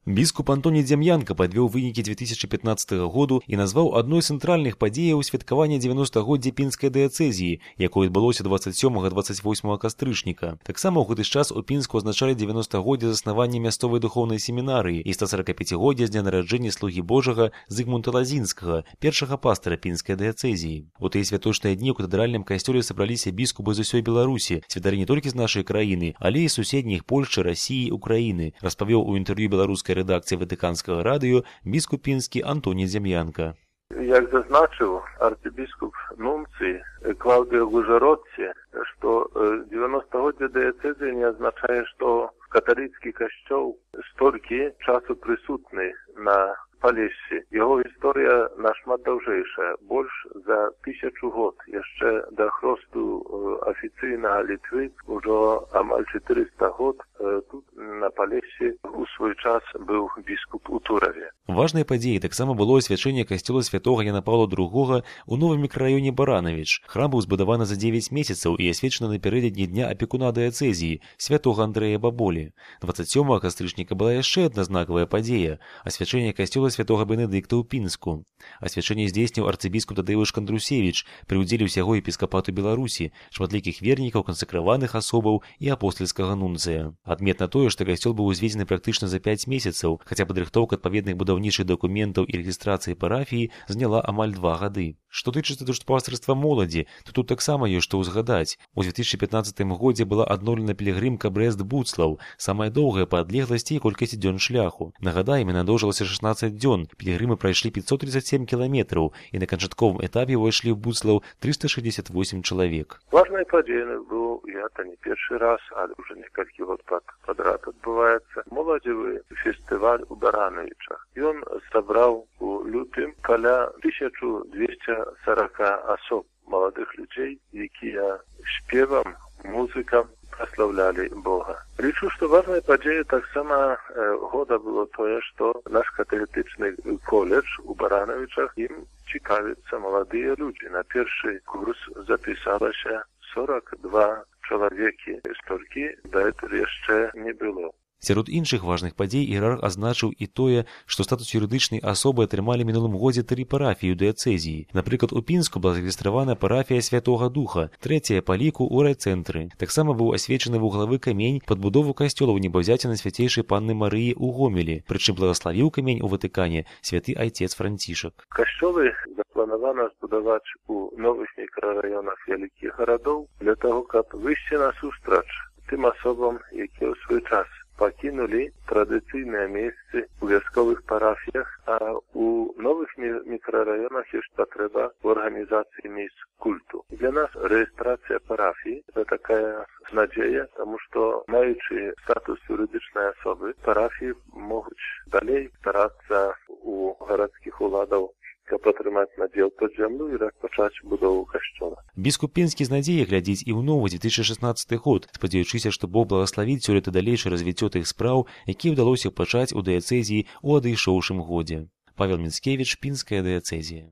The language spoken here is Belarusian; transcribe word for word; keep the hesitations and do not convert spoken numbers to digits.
Біскуп Антоні Дзям'янка падвёў вынікі две тысячи пятнадцатага году і назваў адной з цэнтральных падзеяў святкавання дзевяностагоддзя пінскай дыяцэзіі, якое адбылося дваццаць сёмага — дваццаць восьмага кастрычніка. Таксама ў гэты час у Пінску адзначалі дзевяностагоддзе заснавання мясцовай духоўнай семінарыі і стасаракапяцігоддзя з дня нараджэння слугі Божага Зыгмунта Лазінскага, першага пастара пінскай дыяцэзіі. У тыя святочныя дні ў катэдральным касцёле сабраліся біскупы з усёй Беларусі, святары не толькі з нашай краіны, але і суседніх Польшчы, Расіі, Украіны, распавёў у інтэрв'ю беларускай рэдакцыі Ватыканскага радыё біскуп пінскі Антоні Дзям'янка. Як зазначыў арцыбіскуп Нунцый Клаўдыё Гужародцы, што дзевяностагоддзе дыяцэзіі не азначае, што каталіцкі касцёл столькі часу прысутны на Палессі. Яго гісторыя нашмат даўжэйшая, больш за тысячу год. Яшчэ да хросту афіцыйнага Літвы ўжо амаль чатырыста год тут на Палессі у свой час быў біскуп у Тураве. Важнай падзеяй таксама было асвячэнне касцёла святога Яна Паўла другога ў новым мікрараёне Баранавіч. Храм быў збудаваны за дзевяць месяцаў і асвечаны напярэдадні дня апекуна дыяцэзіі святога Андрэя Баболі. дваццаць сёмага кастрычніка была яшчэ адна знакавая падзея — асвячэнне касцёла святога Бенедыкта ў Пінску. Асвячэнне здзейсніў арцыбіскуп Тадэўш Кандрусевіч пры ўдзеле ўсяго епіскапату Беларусі, шматлікіх вернікаў, кансакраваных асобаў і апостальскага нунцыя. Адметна тое, што касцёл быў узведзены практычна за пяць месяцаў, хаця падрыхтоўка адпаведных будаўнічых дакументаў і рэгістрацыі парафіі заняла амаль два гады. Што тычыцца душпастарства моладзі, то тут таксама ёсць што ўзгадаць. У две тысячи пятнадцатым годзе была адноўлена пілігрымка Брэст-Буцлаў, самая доўгая па адлегласці і колькасці дзён шляху. Нагадаем, яна доўжылася шаснаццаць дзён, пілігрымы прайшлі пятьсот тридцать семь кіламетраў і на канчатковым этапе ўвайшлі ў Буцлаў триста шестьдесят восемь чалавек. Важнай падзеяй быў, гэта не першы раз, але ўжо некалькі год падрад адбываецца, моладзевы фестываль у Баранавічах. Ён сабраў у лютым каля тысячу двести сорок асоб, маладых людзей, якія спевам, музыкам праслаўлялі Бога. Лічу, што важнай падзеяй таксама э, года было тое, што наш каталітычны коледж у Баранавічах ім цікавяцца маладыя людзі. На першы курс запісалася сорок два чалавекі, столькі дагэтуль яшчэ не было. Сярод іншых важных падзей іерарх азначыў і тое, што статус юрыдычнай асобы атрымалі мінулым годзе тры парафіі ў дыяцэзіі. Напрыклад, у Пінску была зарэгістравана парафія Святога Духа, трэцяя па ліку ў райцэнтры. Таксама быў асвечаны вуглавы камень пад будову касцёла ў небаўзяцінай свяцейшай панны Марыі ў Гомелі, прычым благаславіў камень у Ватыкане святы айцец Францішак. Касцёлы запланавана збудаваць у новых мікрараёнах вялікіх гарадоў для таго, каб выйсці насустрач тым асобам, якія ў свой час пакінулі традыцыйныя месцы ў вясковых парафіях, а у новых мікрараёнах ёсць патрэба ў арганізацыі месц культу. Для нас рэгістрацыя парафіі — это такая надзея, таму што, маючы статус юрыдычнай асобы, парафіі могуць далей старацца у гарадскіх уладаў, каб атрымаць надзел пад зямлю і распачаць будову касцёла. Біскуп Пінскі з надзеяй глядзіць і ў новы две тысячи шестнадцаты год, спадзяючыся, што Бог благаславіць сёлета далейшае развіццё тых спраў, якія ўдалося пачаць у дыяцэзіі ў адышоўшым годзе. Павел Міцкевіч, Пінская дыяцэзія.